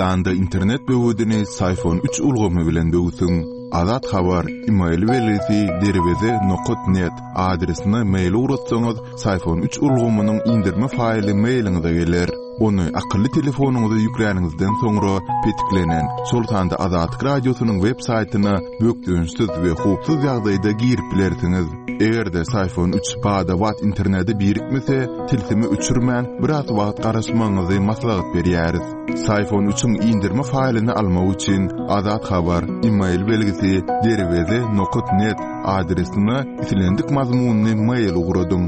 Türkmenistanda internet böwedini Syfon üç ulgamy bilen böwsüň. Azat Habar, email belgisi derweze nokat net adresine mail ugratsaňyz, Syfon üç ulgamynyň indirme faýly mailiňize geler. Ony akylly telefonyňyza ýükläniňizden soňra petiklenen, şol sanda Azatlyk Radiosynyň web saýtyna bökdençsiz we howpsuz ýagdaýda girip bilersiňiz. Eger-de Syfon üç bada-bat internete birikmese, tilsimi öçürmän, biraz wagt garaşmagyňyzy maslahat berýäris. Syfon üçiň indirme faýlyny almak üçin Azat Habar, email belgisi, derweze nokat net adresine islendik mazmunly mail ugradyň.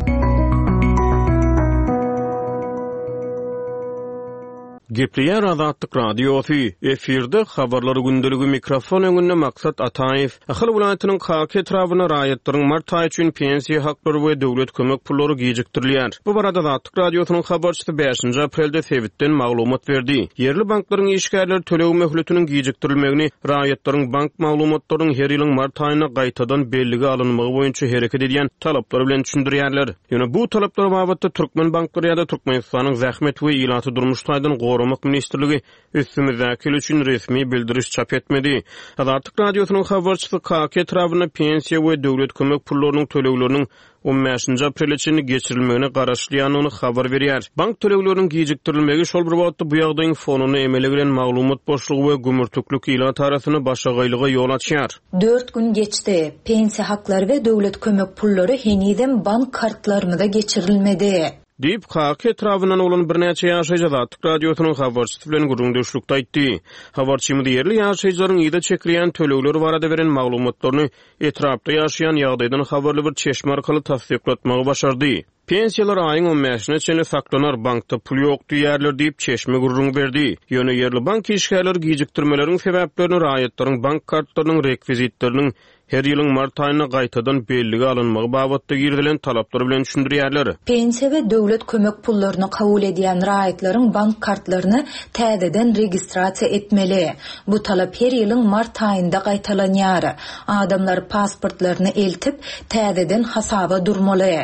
Gepleýär Azatlyk Radiosy, efirde Habarlar gündeligi mikrofon öňünde Maksat Ataýew. Ahal welaýatynyň Kaka etrabynda raýatlaryň mart aýy üçin pensiýa haklary we döwlet kömek pullary gijikdirilýär. Bu barada Azatlyk Radiosynyň habarçysy bäşinji aprelde sebitden maglumat berdi. Ýerli banklaryň işgärleri töleg möhletiniň gijikdirilmegini raýatlaryň bank maglumatlarynyň her ýylyň mart aýynda gaýtadan bellige alynmagy boýunça hereket edýän talaplar bilen düşündirýärler. Ýöne bu talaplar babatda türkmen banklary ýa-da Türkmenistanyň Zähmet we ilaty durmuş taýdan goramak ministrligi üstümizdäki ýyl üçin resmi bildiriş çap etmedi. Azatlyk Radiosynyň habarçysy Kaka etrabynda pensiýa we döwlet kömek pullarynyň tölegleriniň on bäşinji aprele çenli geçirilmegine garaşylýandygyny habar berýär. Bank tölegleriniň gijikdirilmegi şol bir wagtda bu ýagdaýyň fonunda emele gelen maglumat boşlugy we gümürtiklik ilat arasynda başagaýlyga ýol açýar. Dört gün geçdi. Pensiýa haklary we döwlet kömek pullary henizem bank kartlarymyza geçirilmedi. Diýip, Kaka etrabyndan bolan birnäçe ýaşaýjy Azatlyk Radiosynyň habarçysy bilen gürrüňdeşlikde aýtdy. Habarçymyz ýerli ýaşaýjylaryň yza çekilýän tölegler barada beren maglumatlaryny etrapda ýaşaýan ýagdaýdan habarly bir çeşme arkaly tassyklatmagy başardy. Pensiýalar aýyň on bäşine çenli saklanar, bankda pul ýok diýýärler diýip, çeşme gürrüň berdi. Ýöne ýerli bank işgärleri gijikdirmeleriň sebäplerini raýatlaryň bank kartlarynyň rekwizitleriniň her ýylyň mart aýynda gaýtadan bellige alynmagy babatda girizilen talaplar bilen düşündirýärler. Pensiýa we döwlet kömek pullaryny kabul edýän raýatlaryň bank kartlaryny täzeden registrasiýa etmeli. Bu talap her ýylyň mart aýynda gaýtalanýar. Adamlar pasportlaryny eltip, täzeden hasaba durmaly.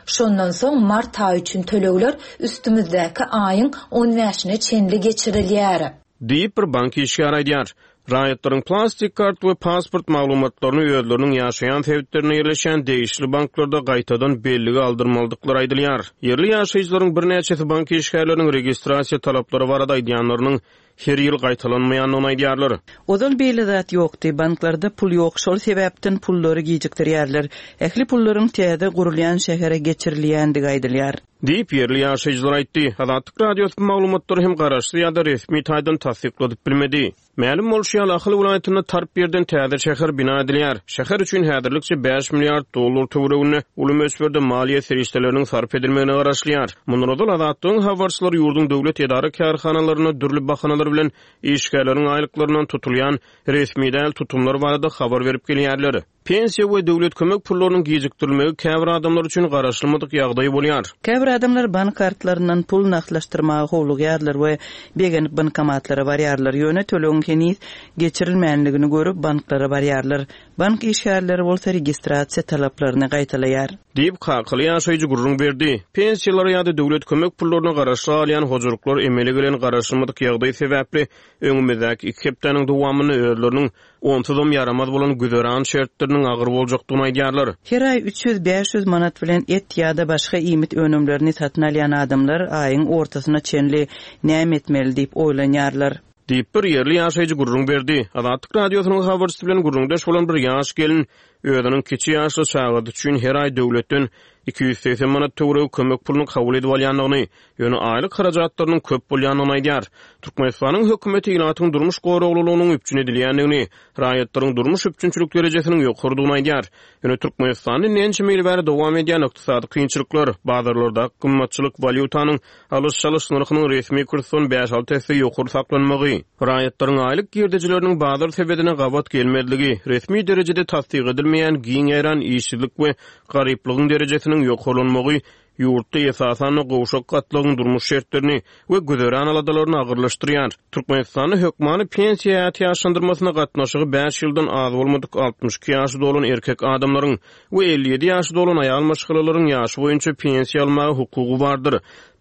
Şondan soň mart aýy üçin tölegler üstümizdäki aýyň on bäşine çenli geçirilýär. Diýip, bir bank işgäri aýdýar. Raýatlaryň plastik kart we pasport maglumatlaryny özleriniň ýaşaýan sebitlerinde ýerleşýän degişli banklarda gaýtadan bellige aldyrmalydyklary aýdylýar. Ýerli ýaşaýjylaryň birnäçesi bank işgärleriniň registrasiýa talaplary barada aýdýanlarynyň her ýyl gaýtalanmaýandygyny aýdýarlar. Ozal beýle zat ýokdy. Banklarda pul ýok, şol sebäpden pullary gijikdirýärler. Ähli pullaryň täze gurulýan şähere geçirilýändigi aýdylýar. Diýip, ýerli ýaşaýjylar aýtdy. Azatlyk Radiosy bu maglumatlary hem garaşsyz ýa-da resmi taýdan tassykladyp bilmedi. Mälim bolşy ýaly, Ahal welaýatynda tarp ýerden täze şäher bina edilýär. Şäher üçin häzirlikçe bäş milliard dollar töwereginde uly möçberde maliýe serişdeleriniň sarp edilmegine garaşylýar. Mundan ozal, Azatlygyň habarçylary ýurduň döwlet edara-kärhanalarynda dürli bahanalar bilen işgärleriň aýlyklaryndan tutulýan resmi däl tutumlar barada habar berip gelýärler. Pensiýa we döwlet kömek pullarynyň gijikdirilmegi käbir adamlar üçin garaşylmadyk ýagdaý bolýar. Käbir adamlar bank kartlaryndan pul nagtlaşdyrmaga howlugýarlar we begenip bankomatlara barýarlar, ýöne tölegiň heniz geçirilmänligini görüp banklara barýarlar. Bank işgärleri bolsa registrasiýa talaplaryny gaýtalaýar. Diýip, kakaly ýaşaýjy gürrüň berdi. Pensiýalara ýa-da döwlet kömek pullaryna garaşly galýan hojalyklar emele gelen garaşylmadyk ýagdaý sebäpli öňümizdäki iki hepdäniň dowamynda özleriniň Onsuzam ýaramaz bolan güzeran şertleriniň agyr boljakdygyny aýdýarlar. Her aý 300-500 manat bilen et ýa-da başga iýmit önümlerini satyn alýan adamlar aýyň ortasyna çenli näme etmeli diýip oýlanýarlar. Diýip, bir ýerli ýaşaýjy gürrüň berdi. Azatlyk Radiosynyň habarçysy bilen gürrüňdeş bolan bir ýaş gelin özüniň kiçi ýaşly çagasy üçin her aý döwletden 280 manat töweregi kömek puluny kabul edip alýandygyny, ýöne aýlyk harajatlarynyň köp bolýandygyny aýdýar. Türkmenistanyň hökümeti ilatyň durmuş goraglylygynyň üpjün edilýändigini, raýatlaryň durmuş üpjünçilik derejesiniň ýokarydygyny aýdýar. Ýöne Türkmenistanda indi ençeme ýyl bäri dowam edýän ykdysady kynçylyklar, bazarlardaky gymmatçylyk, walýutanyň alyş-çalyş nyrhynyň resmi kursdan bäş-alty esse ýokary saklanmagy, raýatlaryň aýlyk girdejileriniň bazar sebedine gabat gelmezligi, resmi derejede tassyk edilmeýän giň ýaýran işsizlik we garyplygyň derejesiniň ýokarlanmagy. ýurtda esasan-da gowşak gatlagyň durmuş şertlerini we güzeran aladalaryny agyrlaşdyrýar. Türkmenistanda hökmany pensiýa ätiýaçlandyrmasyna gatnaşygy bäş ýyldan az bolmadyk 62 ýaşy dolan erkek adamlaryň we 57 ýaşy dolan aýal maşgalalaryň ýaşy boýunça pensiýa almaga hukugy bardyr.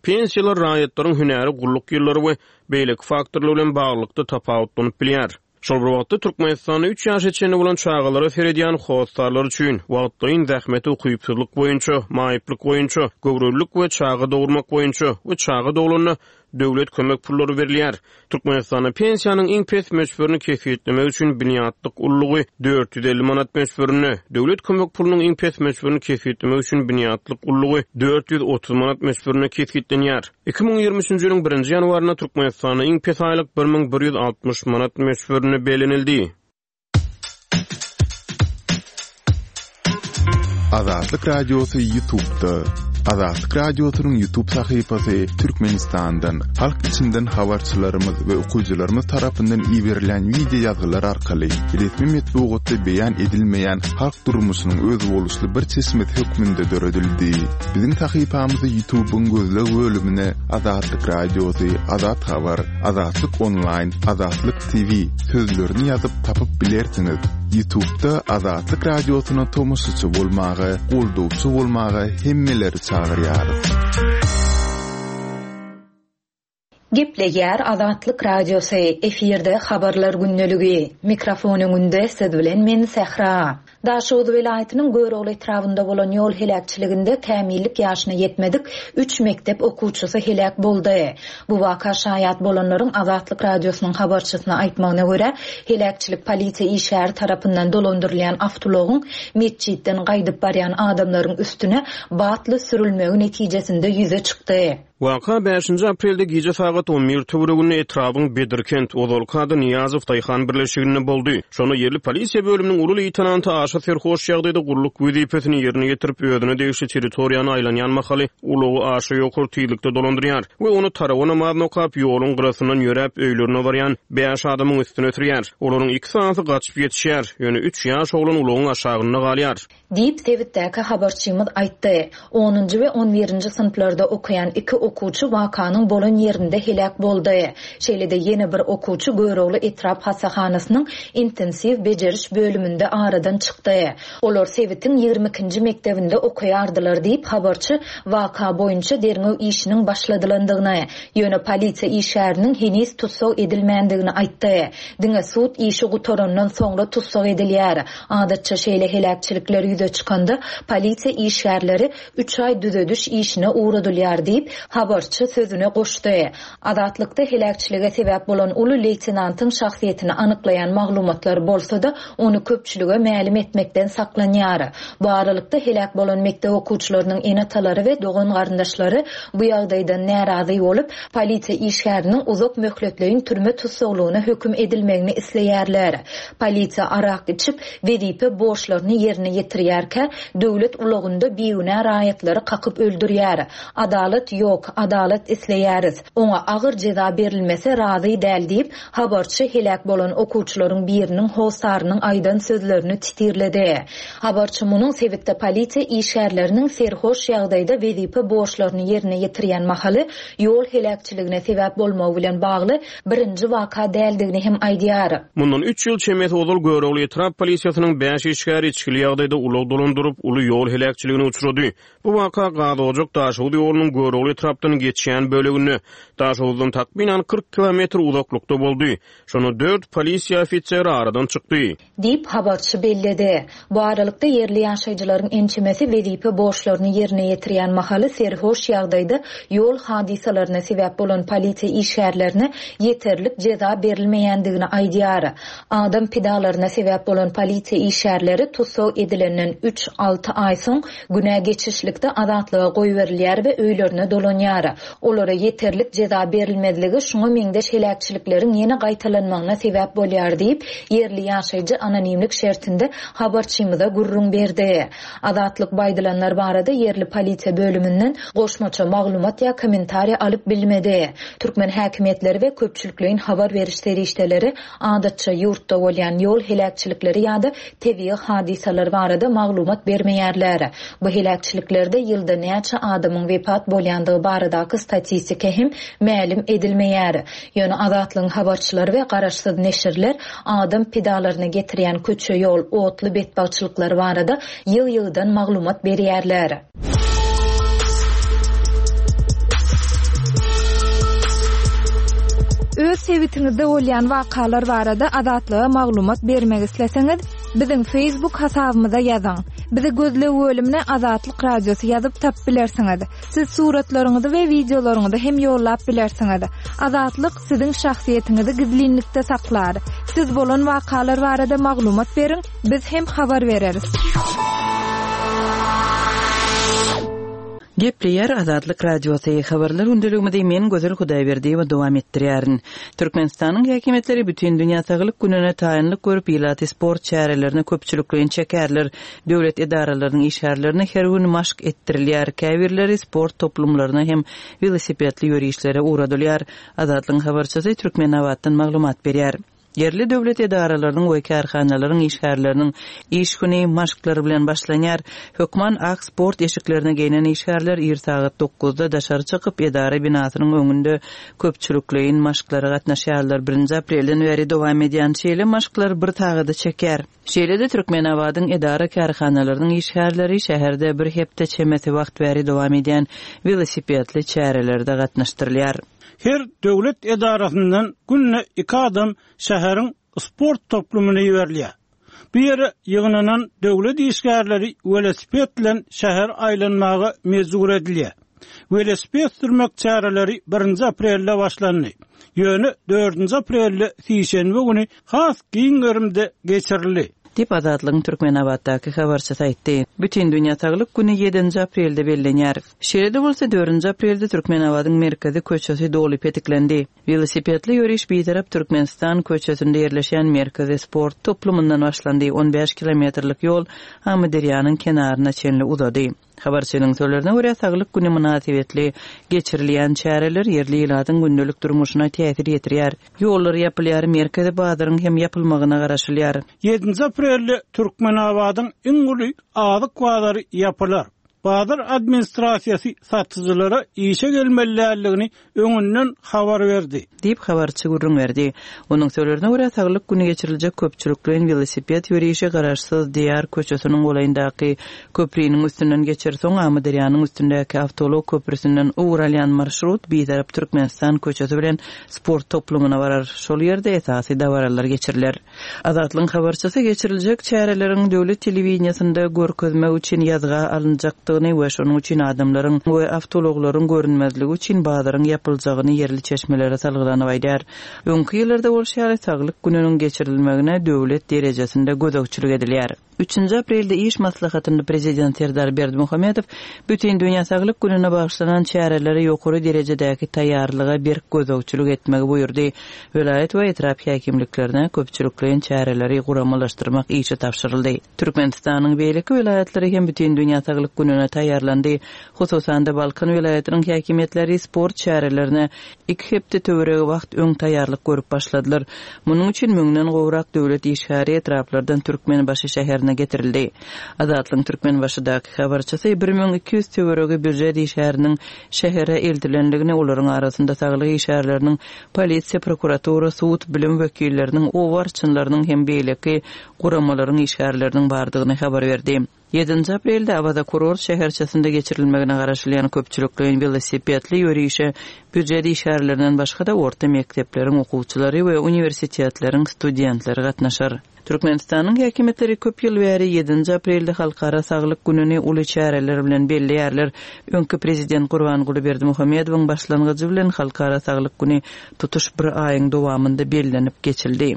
Pensiýalar raýatlaryň hünäri, gulluk ýyllary we beýleki faktorlar bilen baglylykda tapawutlanyp bilýär. Şol bir wagtda, Türkmenistanda üç ýaşa çenli bolan çagalara seredýän hossarlar üçin, wagtlaýyn zähmete ukypsyzlyk boýunça, maýyplyk boýunça, göwrelilik we çaga dogurmak boýunça we çaga doglanda döwlet kömek pullary berilýär. Türkmenistanda pensiýanyň iň pes möçberini kesgitlemek üçin binýatlyk ululygy 450 manat möçberinde, döwlet kömek pulunyň iň pes möçberini kesgitlemek üçin binýatlyk ululygy 430 manat möçberinde kesgitlenýär. 2023-nji ýylyň birinji ýanwarynda Türkmenistanda iň pes aýlyk 1160 manat möçberinde bellenildi. Azatlyk Radiosy YouTube'da. Azatlyk Radiosynyň YouTube sahypasy Türkmenistandan, halk içinden habarçylarymyz we okyjylarymyz tarapyndan iberilen wideo ýazgylar arkaly resmi metbugatda beýan edilmeýän halk durmuşynyň özboluşly bir çeşmesi hökmünde döredildi. Biziň sahypamyzy YouTube-yň gözleg bölümine Azatlyk Radiosy, Azat Habar, Azatlyk Onlaýn, Azatlyk TV sözlerini ýazyp tapyp bilersiňiz. Ýutubda Azatlyk Radiosyna tomaşaçy bolmaga, goldawçy bolmaga hemmeleri çagyrýarys. Gepleýär Azatlyk Radiosy, efirde Habarlar gündeligi. Mikrofon öňünde siz bilen men Sähra. Daşoguz welaýatynyň Görogly etrabynda bolan ýol heläkçiliginde kämillik ýaşyna ýetmedik üç mekdep okuwçysy heläk boldy. Bu waka şaýat bolanlaryň Azatlyk Radiosynyň habarçysyna aýtmagyna görä, heläkçilik polisiýa işgäri tarapyndan dolandyrylýan awtoulagyň metjitden gaýdyp barýan adamlaryň üstüne batly sürülmegi netijesinde ýüze çykdy. Waka bäşinji aprelde gije sagat on bir töwereginde etrabyň Bedirkent, ozalky ady Nyýazow daýhan birleşiginde boldy. Şonda ýerli polisiýa bölüminiň uly leýtenanty aşa serhoş ýagdaýda gulluk wezipesini ýerine ýetirip, özüne degişli territoriýany aýlanýan mahaly ulagy aşa ýokary tizlikde dolandyrýar we ony tarawa namazyny okap, ýoluň gyrasyndan ýöräp öýlerine barýan bäş adamyň üstüne sürýär. Olaryň iki sanysy gaçyp ýetişýär, ýöne üç ýaş oglan ulagyň aşagynda galýar. Diýip, sebitdäki habarçymyz aýtdy. Onunjy we on birinji synplarda okaýan iki okuwçy wakanyň bolan ýerinde heläk boldy. Şeýle-de ýene bir okuwçy Görogly etrap hassahanasynyň intensiw bejeriş bölüminde aradan çykdy. Olar sebitiň ýigrimi ikinji mekdebinde okaýardylar diýip, habarçy waka boýunça derňew işiniň başladylandygyny, ýöne polisiýa işgäriniň heniz tussag edilmändigini aýtdy. Diňe sud işi gutarandan soňra tussag edilýär. Adatça şeýle heläkçilikler ýüze çykanda, polisiýa işgärleri üç aý düzediş işine ugradylýar diýip, habarçy sözüne goşdy. Azatlykda heläkçilige sebäp bolan uly leýtenantyň şahsyýetini anyklaýan maglumatlar bolsa-da, ony köpçülige mälim etmekden saklanýar. Bu aralykda, heläk bolan mekdep okuwçylarynyň ene-atalary we dogan-garyndaşlary bu ýagdaýdan närazy bolup, polisiýa işgäriniň uzak möhletleýin türme tussaglygyna höküm edilmegini isleýärler. Polisiýa arak içip, wezipe borçlaryny ýerine ýetirýärkä, döwlet ulagynda bigünä raýatlary kakyp öldürýär. Adalat ýok, adalat isleýäris. Oňa agyr jeza berilmese razy däl diýip, habarçy heläk bolan okuwçylaryň biriniň hossarynyň aýdan sözlerini titirledi. Habarçy munuň sebitde polisiýa işgärleriniň serhoş ýagdaýda wezipe borçlaryny ýerine ýetirýän mahaly ýol heläkçiligine sebäp bolmagy bilen bagly birinji waka däldigini hem aýdýar. Mundan üç ýyl çemesi ozal Görogly etrap polisiýasynyň bäş işgäri içgili ýagdaýda ulag dolandyryp, uly ýol heläkçiligine uçrady. Bu waka Gazojak-Daşoguz ýolunyň Görogly etrapdan geçýän böleginde, Daşoguzdan takmynan 40 kilometr uzaklykda boldy. Şonda dört polisiýa ofiseri aradan çykdy. Diýip, habarçy belledi. Bu aralykda, ýerli ýaşaýjylaryň ençemesi wezipe borçlaryny ýerine ýetirýän mahaly serhoş ýagdaýda ýol hadysalaryna sebäp bolan polisiýa işgärlerine ýeterlik jeza berilmeýändigini aýdýar. Adam pidalaryna sebäp bolan polisiýa işgärleri tussag edilenden üç, alty aý soň günä geçişlikde azatlyga goýberilýär we öýlerine dolanýar. hasaplanýar. Olara ýeterlik jeza berilmezligi şuňa meňzeş heläkçilikleriň ýene gaýtalanmagyna sebäp bolýar diýip, ýerli ýaşaýjy anonimlik şertinde habarçymyza gürrüň berdi. Azatlyk bu aýdylanlar barada ýerli polisiýa bölüminden goşmaça maglumat ýa kommentariýa alyp bilmedi. Türkmen häkimiýetleri we köpçülikleýin habar beriş serişdeleri adatça ýurtda bolýan ýol heläkçilikleri ýa-da tebigy hadysalar barada maglumat bermeýärler. Bu heläkçiliklerde ýylda näçe adamyň wepat bolýandygy baradaky statistika hem mälim edilmeýär. Ýöne Azatlygyň habarçylary we garaşsyz neşirler adam pidalaryna getirýän köçe-ýol, otly betbagtçylyklary barada ýygy-ýygydan maglumat berýärler. Öz sebitiňizde bolýan wakalar barada Azatlyga maglumat bermek isleseňiz, biziň Facebook hasabymyza ýazyň. Bizi gözleg bölümine Azatlyk Radiosy ýazyp tapyp bilersiňiz. Siz suratlaryňyzy we wideolaryňyzy hem ýollap bilersiňiz. Azatlyk siziň şahsyýetiňizi gizlinlikde saklar. Siz bolan wakalar barada maglumat beriň, biz hem habar bereris. Gepleýär Azatlyk Radiosy, Habarlar gündeligimizi men Gözel Hudaýberdiýewa dowam etdirýärin. Türkmenistanyň häkimiýetleri Bütindünýä saglyk gününe taýynlyk görüp, ilaty sport çärelerine köpçülikleýin çekerler. Döwlet edaralarynyň işgärlerine her gün maşk etdirilýär, käbirleri sport toplumlaryna hem welosipedli ýörişlere ugradylýar. Azatlygyň habarçysy Türkmenabatdan maglumat berýär. Ýerli döwlet edaralarynyň we kärhanalaryň işgärleriniň iş güni maşklar bilen başlanýar. Hökman ak sport eşiklerini geýnen işgärler ir sagat dokuzda daşary çykyp, edara binasynyň öňünde köpçülikleýin maşklara gatnaşýarlar. Birinji aprelden bäri dowam edýän şeýle maşklar bir sagada çekýär. Şeýle-de Türkmenabadyň edara-kärhanalarynyň işgärleri şäherde bir hepde çemesi wagt bäri dowam edýän welosipedli çärelerde gatnaşdyrylýar. Her döwlet edarasyndan günde iki adam şäheriň sport toplumyna iberilýär. Bu ýere ýygnanan döwlet işgärleri welosiped bilen şähere aýlanmaga mejbur edilýär. Welosiped sürmek çäreleri birinji aprelde başlandy. Ýöne dördünji aprelde sişenbe güni has giň gerimde geçirildi. Diýip, Azatlygyň Türkmenabatdaky habarçysy aýtdy. Bütindünýä saglyk güni ýedinji aprelde bellenýär. Şeýle-de bolsa, dördünji aprelde Türkmenabadyň merkezi köçesi doly petiklendi. Welosipedli ýöriş Bitarap Türkmenistan köçesinde ýerleşýän merkezi sport toplumyndan başlandy, on bäş kilometrlik ýol Amyderýanyň kenaryna çenli uzady. Habarçynyň sözlerine görä, Saglyk güni mynasybetli geçirilýän çäreler ýerli ilatyň gündelik durmuşyna täsir ýetirýär. Ýollar ýapylýar, merkezi bazaryň hem ýapylmagyna garaşylýar. Ýedinji aprelde Türkmenabadyň iň uly azyk bazary ýapylar. Bazar administrasiýasy satyjylara işe gelmeli däldigini öňünden habar berdi. Diýip, habarçy gürrüň berdi. Onuň sözlerine görä, Saglyk güni geçiriljek köpçülikleýin welosiped ýörişi Garaşsyz Diýar köçesiniň golaýyndaky köpriniň üstünden geçer, soň Amyderýanyň üstündäki awtoulag köprüsinden ugur alýan marşrut Bitarap Türkmenistan köçesi bilen sport toplumyna barar, şol ýerde esasy dabaralar geçiriler. Azatlygyň habarçysy geçiriljek çäreleriň döwlet telewideniýesinde görkezmek üçin ýazga alynjakdygyny we şonuň üçin adamlaryň we awtoulaglaryň görünmezligi üçin bazaryň ýapyljagyny ýerli çeşmelere salgylanyp aýdýar. Öňki ýyllarda bolşy ýaly, Saglyk gününiň geçirilmegine döwlet derejesinde gözegçilik edilýär. Üçünji aprelde iş maslahatynda Prezident Serdar Berdimuhamedow Bütindünýä saglyk gününe bagyşlanan çärelere ýokary derejedäki taýýarlyga berk gözegçilik etmegi buýurdy. Welaýat we etrap häkimliklerine köpçülikleýin çäreleri guramalaşdyrmak işi tabşyryldy. Türkmenistanyň beýleki welaýatlary hem Bütindünýä saglyk gününe taýýarlandy. Hususan-da, Balkan welaýatynyň häkimiýetleri sport çärelerine iki hepde töweregi wagt öň taýýarlyk görüp başladylar. Munuň üçin müňden gowrak döwlet işgäri etraplardan Türkmenbaşy şäherine getirildi. Azatlygyň Türkmenbaşydaky habarçysy 1200 töweregi býujet işgäriniň şähere eltilendigini, olaryň arasynda saglyk işgärleriniň, polisiýa, prokuratura, sud, bilim wekilleriniň, oba arçynlarynyň hem beýleki guramalaryň işgärleriniň bardygyny habar berdi. Ýedinji aprelde Awaza kurort şäherçesinde geçirilmegine garaşylýan köpçülikleýin welosipedli ýörişe býujet işgärlerinden başga-da orta mekdepleriň okuwçylary we uniwersitetleriň studentleri gatnaşar. Türkmenistanyň häkimiýetleri köp ýyl bäri ýedinji aprelde Halkara saglyk gününi uly çäreler bilen belleýärler. Öňki prezident Gurbanguly Berdimuhamedowyň başlangyjy bilen Halkara saglyk güni tutuş bir aýyň dowamynda bellenip geçildi.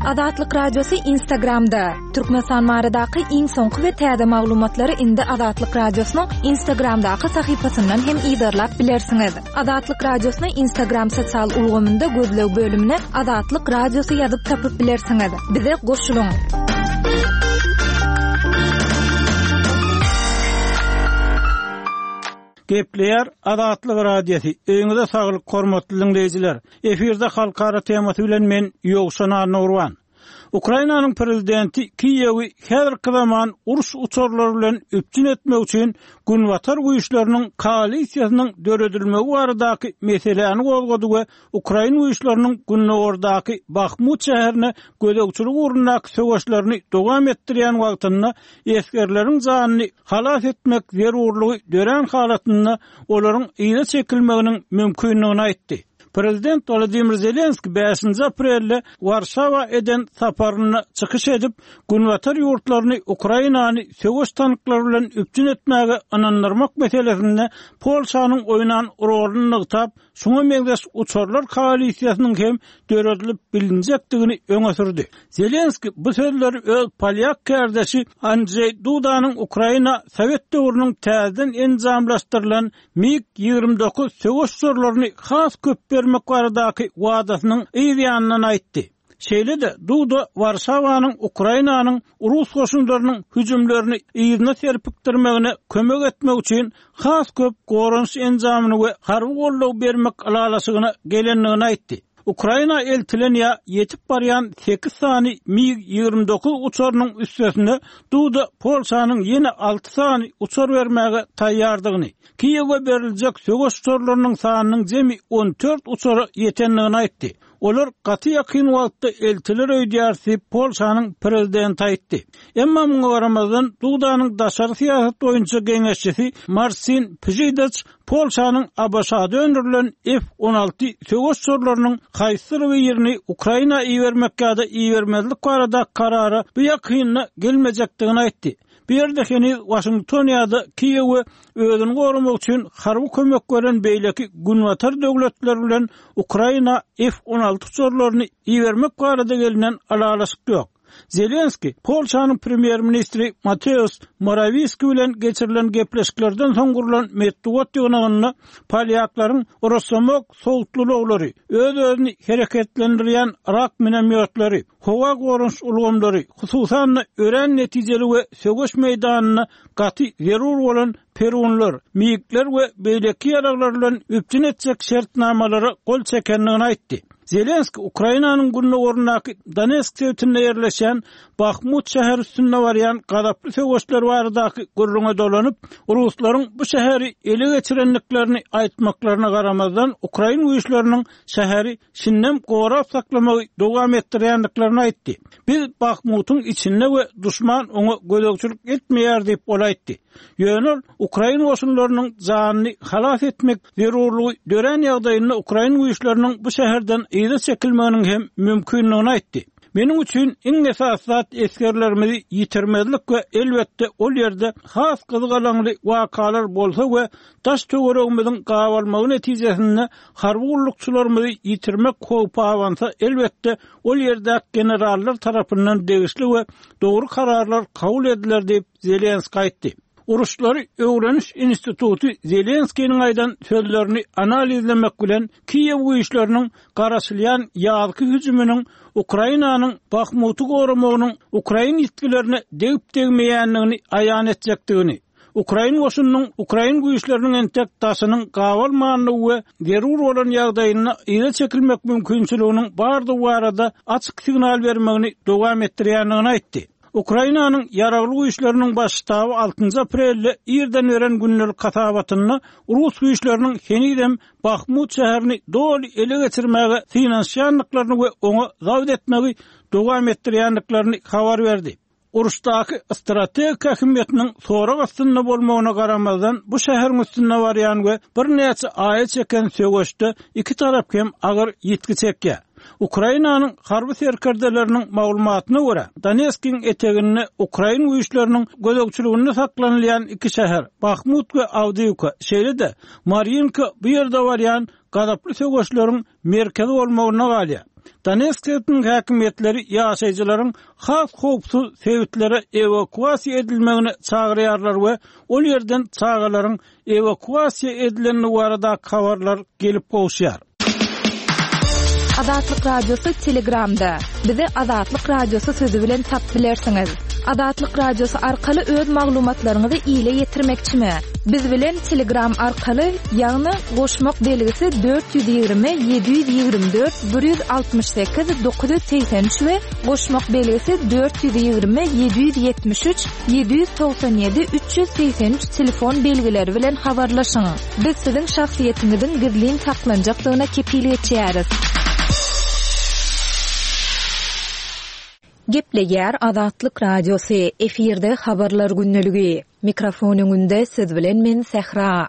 Azatlyk Radiosy Instagramda! Türkmenistan baradaky iň soňky we täze maglumatlary indi Azatlyk Radiosynyň Instagramdaky sahypasyndan hem yzarlap bilersiňiz. Azatlyk Radiosyny Instagram sosial ulgamynda gözleg bölümine Azatlyk Radiosy ýazyp tapyp bilersiňiz. Bize goşulyň! Gepleýär Azatlyk Radiosy, Öýüňize saglyk hormatly diňleýjiler! Efirde halkara temasy bilen men Ýowşan Annagurban. Ukrainanyň prezidenti Kiýewi häzirki zaman uruş uçarlary bilen üpjün etmek üçin Günbatar güýçleriniň koalisiýasynyň döredilmegi baradaky meseläni gozgady we ukrain güýçleriniň gündogardaky Bahmut şäherine gözegçilik ugrundaky söweşlerini dowam etdirýän wagtynda esgerleriň janyny halas etmek zerurlygy dörän halatynda olaryň yza çekilmeginiň mümkindigini aýtdy. Prezident Wolodymyr Zelenskiý bäşinji aprelde Warşawa eden saparynda çykyş edip, Günbatar ýurtlaryny Ukrainany söweş tanklary bilen üpjün etmäge ynandyrmak meselesinde Polşanyň oýnan roluny nygtap, şuňa meňzeş uçarlar koalisiýasynyň hem döredilip bilinjekdigini öňe sürdi. Zelenskiý bu sözleri öz polýak kärdeşi Andžeý Dudanyň Ukraina sowet döwrüniň täzeden enjamlaşdyrylan MiG 29 söweş uçarlaryny has köp bermek baradaky wadasynyň yz ýanyndan aýtdy. Şeýle-de, Duda Warşawanyň Ukrainanyň rus goşunlarynyň hüjümlerini yzyna serpikdirmegine kömek etmek üçin has köp goranyş enjamyny we harby goldaw bermek ylalaşygyna gelendigini aýtdy. Ukraina eltilen ýa ýetip barýan sekiz sany MiG 29 uçarynyň üstesine Duda Polşanyň ýene alty sany uçar bermäge taýýardygyny, Kiýewe beriljek söweş uçarlarynyň sanynyň jemi 14 uçara ýetendigini aýtdy. Olar gaty ýakyn wagtda eltiler öýdýäris diýip, Polşanyň prezidenti aýtdy. Emma muňa garamazdan, Dudanyň daşary syýasat boýunça geňeşçisi Marsin Pžidaç Polşanyň ABŞ-da öndürilen F 16 söweş uçarlarynyň haýsydyr birini Ukraina ibermek ýa-da ibermezlik barada karara bu ýakynda gelmejekdigini aýtdy. Bu ýerde heniz Waşington ýa-da Kiýewe özüni goramak üçin harby kömek beren beýleki Günbatar döwletleri bilen Ukraina F 16 uçarlaryny ibermek barada gelnen ylalaşyk ýok. Zelenskiý Polşanyň premýer-ministri Mateusz Morawiski bilen geçirilen gepleşiklerden soň gurlan metbugat ýygnagynda polýaklaryň Rosomok sowutly ulaglary, öz-özüni hereketlendirýän Rak minomýotlary, howa goranyş ulgamlary, hususan-da örän netijeli we söweş meýdanynda gaty zerur bolan Perunlar, MiG-ler we beýleki ýaraglar bilen üpjün etjek şertnamalara gol çekendigini aýtdy. Zelenskiý Ukrainanyň gündogaryndaky Donetsk sebitinde ýerleşýän Bahmut şäheri üstünde barýan gazaply söweşler baradaky gürrüňe dolanyp, ruslaryň bu şäheri ele geçirendiklerini aýtmaklaryna garamazdan, ukrain güýçleriniň şäheri şindem gorap saklamagy dowam etdirýändiklerini aýtdy. Biz Bahmutyň içinde we duşman oňa gözegçilik etmeýär diýip, ol aýtdy. Ýöne ol ukrain goşunlarynyň janyny halas etmek zerurlygy dörän ýagdaýynda ukrain güýçleriniň bu şäherden yza çekilmeginiň hem mümkindigini aýtdy. Meniň üçin iň esasy zat esgerlerimizi ýitirmezlik we elbetde ol ýerde has gyzgalaňly wakalar bolsa we daş-töweregimiziň gabalmagy netijesinde harby gullukçylarymyzy ýitirmek howpy abansa elbetde ol ýerdäki generallar tarapyndan degişli we dogry kararlar kabul ediler diýip, Zelenskiý aýtdy. Uruşlary öwreniş instituty Zelenskiniň aýdan sözlerini analizlemek bilen, Kiýew güýçleriniň garaşylýan ýazky hüjüminiň Ukrainanyň Bahmuty goramagynyň ukrain ýitgilerine degip-degmeýändigini aýan etjekdigini, ukrain goşunynyň ukrain güýçleriniň entek daşynyň gabalmandygy we zerur bolan ýagdaýynda yza çekilmek mümkinçiliginiň bardygy barada açyk signal bermegini dowam etdirýändigini aýtdy. Ukrainanyň Ýaragly Güýçleriniň Baş ştaby altynjy aprelde irden beren gündelik hasabatynda rus güýçleriniň henizem Bahmut şäherini doly ele geçirmäge synanyşýandyklaryny we oňa zabt etmegi dowam etdirýändiklerini habar berdi. Uruşdaky strategik ähmiýetiniň sorag astynda bolmagyna garamazdan, bu şäheriň üstünde barýan we birnäçe aýa çeken söweşde iki tarap hem agyr ýitgi çekýär. Ukrainanyň harby serkerdeleriniň maglumatyna görä, Donetskiň eteginde ukrain güýçleriniň gözegçiliginde saklanylýan iki şäher, Bahmut we Awdiýwka, şeýle-de Marýinka bu ýerde barýan gazaply söweşleriň merkezi bolmagynda galýar. Donetsk sebitiniň häkimiýetleri ýaşaýjylaryň has howpsuz sebitlere ewakuasiýa edilmegine çagyrýarlar we ol ýerden çagalaryň ewakuasiýa edilendigi baradaky habarlar gelip gowuşýar. Azatlyk Radiosy Telegramda. Bizi Azatlyk Radiosy sözi bilen tapyp bilersiňiz. Azatlyk Radiosy arkaly öz maglumatlaryňyzy ile ýetirmekçimi? Biz bilen Telegram arkaly, ýagny goşmak belgisi 420 724 168 983 we goşmak belgisi 420 773 797 383 telefon belgileri bilen habarlaşyň. Biz siziň şahsyýetiňiziň gizlin saklanjakdygyna kepil geçýäris. Gepleýär Azatlyk Radiosy, efirde Habarlar gündeligi. Mikrofon öňünde siz bilen men Sähra.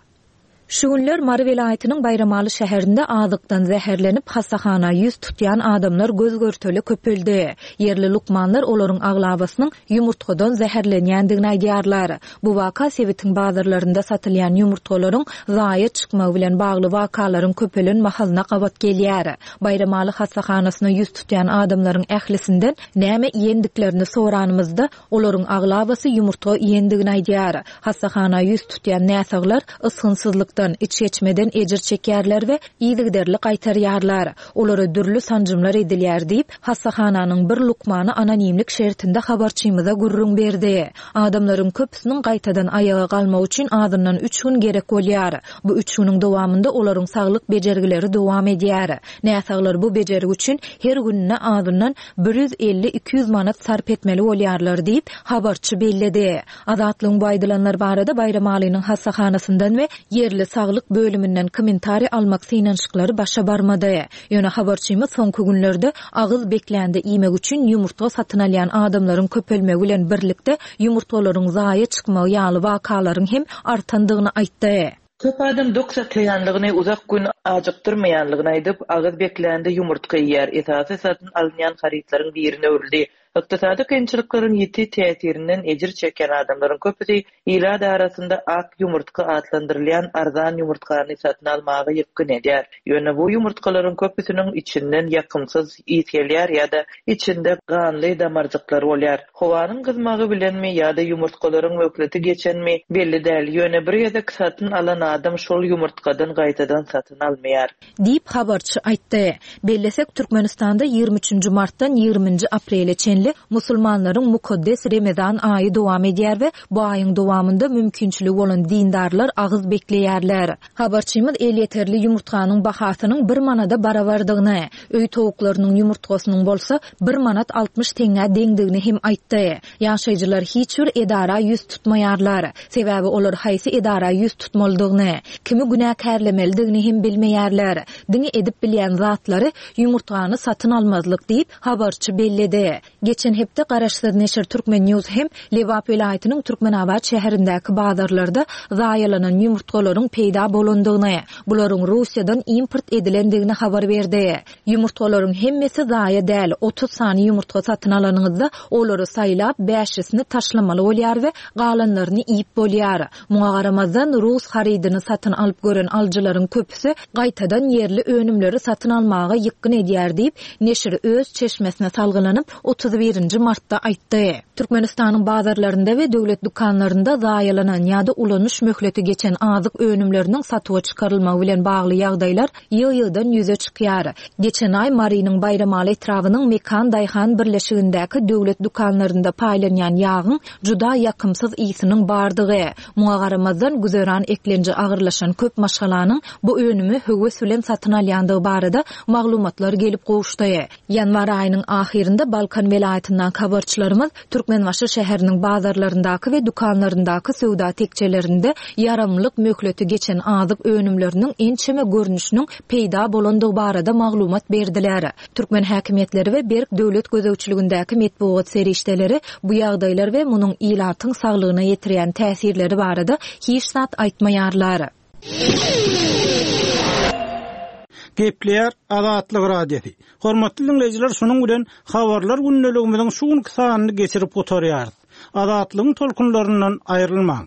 Şu günler Mary welaýatynyň Baýramaly şäherinde azykdan zäherlenip, hassahana ýüz tutýan adamlar göz-görtele köpeldi. Ýerli lukmanlar olaryň aglabasynyň ýumurtgadan zäherlenýändigini aýdýarlar. Bu waka sebitiň bazarlarynda satylýan ýumurtgalaryň zaýa çykmagy bilen bagly wakalaryň köpelen mahalyna gabat gelýär. Baýramaly hassahanasyna ýüz tutýan adamlaryň ählisinden näme iýendiklerini soranymyzda, Olaryň aglabasy ýumurtga iýendigini aýdýar. Hassahana ýüz tutýan näsaglar ysgynsyzlykdan, içgeçmeden ejir çekýärler we yzygiderli gaýtarýarlar. Olara dürli sanjymlar edilýär diýip, hassahananyň bir lukmany anonimlik şertinde habarçymyza gürrüň berdi. Adamlaryň köpüsiniň gaýtadan aýaga galmagy üçin azyndan üç gün gerek bolýar. Bu üç günüň dowamynda olaryň saglyk bejergileri dowam edýär. Näsaglar bu bejergi üçin her gününe azyndan 150-200 manat sarp etmeli bolýarlar diýip, habarçy belledi. Azatlygyň bu aýdylanlar barada Baýramalynyň hassahanasyndan we ýerli saglyk bölüminden kommentariý almak synanyşyklary başa barmady. Ýöne habarçymyz soňky günlerde agyz beklände iýmek üçin ýumurtga satyn alýan adamlaryň köpelmegi bilen birlikde ýumurtgalaryň zaýa çykmagy ýaly wakalaryň hem artandygyny aýtdy. Köp adam dok saklaýanlygyny, uzak gün ajykdyrmaýanlygyny aýdyp, agyz beklände ýumurtga iýýär. Esasy satyn alynýan harytlaryň birine öwrüldi. Ykdysady kynçylyklaryň ýiti täsirinden ejir çekýän adamlaryň köpüsi ilat arasynda ak ýumurtga atlandyrylýan arzan ýumurtgany satyn almaga ýykgyn edýär. Ýöne bu ýumurtgalaryň köpüsiniň içinden ýakymsyz ys gelýär ýa-da içinde ganly damarjyklar bolýar. Howanyň gyzmagy bilenmi ýa-da ýumurtgalaryň möhleti geçenmi, belli däl, ýöne bir gezek satyn alan adam şol ýumurtgadan gaýtadan satyn almaýar. Diýip, habarçy aýtdy. Bellesek, Türkmenistanda 23 üçünji martdan 20 nji aprele çenli musulmanlaryň mukaddes Remezan aýy dowam edýär we bu aýyň dowamynda mümkinçiligi bolan dindarlar agyz bekleýärler. Habarçymyz elýeterli ýumurtganyň bahasynyň bir manada barabardygyny, öý towuklarynyň ýumurtgasynyň bolsa bir manat 60 teňňä deňdigini hem aýtdy. Ýaşaýjylar hiç bir edara ýüz tutmaýarlar. Sebäbi olar haýsy edara ýüz tutmalydygyny, kimi günäkärlemelidigini hem bilmeýärler. Diňe edip bilýän zatlary ýumurtgany satyn almazlyk diýip, habarçy belledi. Geçen hepde garaşsyz neşir Turkmen News hem Lebap welaýatynyň Türkmenabat şäherindäki bazarlarda zaýalanan ýumurtgalaryň peýda bolandygyny, bularyň Russiýadan import edilendigini habar berdi. Ýumurtgalaryň hemmesi zaýa däl, 30 sany ýumurtga satyn alanyňyzda, olary saýlap, bäşisini taşlamaly bolýar we galanlaryny iýip bolýar. Muňa garamazdan, rus harydyny satyn alyp gören alyjylaryň köpüsi gaýtadan ýerli önümleri satyn almaga ýykgyn edýär diýip, neşir öz çeşmesine salgylanyp, 31 nji martda aýtdy. Türkmenistanyň bazarlarynda we döwlet dükanlarynda zaýalanan ýa-da ulanyş möhleti geçen azyk önümleriniň satuwa çykarylmagy bilen bagly ýagdaýlar ýygy-ýygydan ýüze çykýar. Geçen aý Marynyň Baýramaly etrabynyň Mekan daýhan birleşigindäki döwlet dükanlarynda paýlanýan ýagyň juda ýakymsyz ysynyň bardygy, muňa garamazdan, güzeran eklenji agyrlaşan köp maşgalanyň bu önümi höwes bilen satyn alýandygy barada maglumatlar gelip gowuşdy. Ýanwar aýynyň ahyrynda Balkan welaýatyndaky habarçylarymyz Türkmenbaşy şäheriniň bazarlaryndaky we dükanlaryndaky söwda tekjelerinde ýaramlyk möhleti geçen azyk önümleriniň ençeme görnüşiniň peýda bolandygy barada maglumat berdiler. Türkmen häkimiýetleri we berk döwlet gözegçiligindäki metbugat serişdeleri bu ýagdaýlar we munuň ilatyň saglygyna ýetirýän täsirleri barada hiç zat aýtmaýarlar. Gepleýär Azatlyk Radiosy. Hormatly diňleýjiler, şunuň bilen Habarlar gündeligimiziň şu günki sanyny geçirip gutarýarys. Azatlygyň tolkunlaryndan aýrylmaň.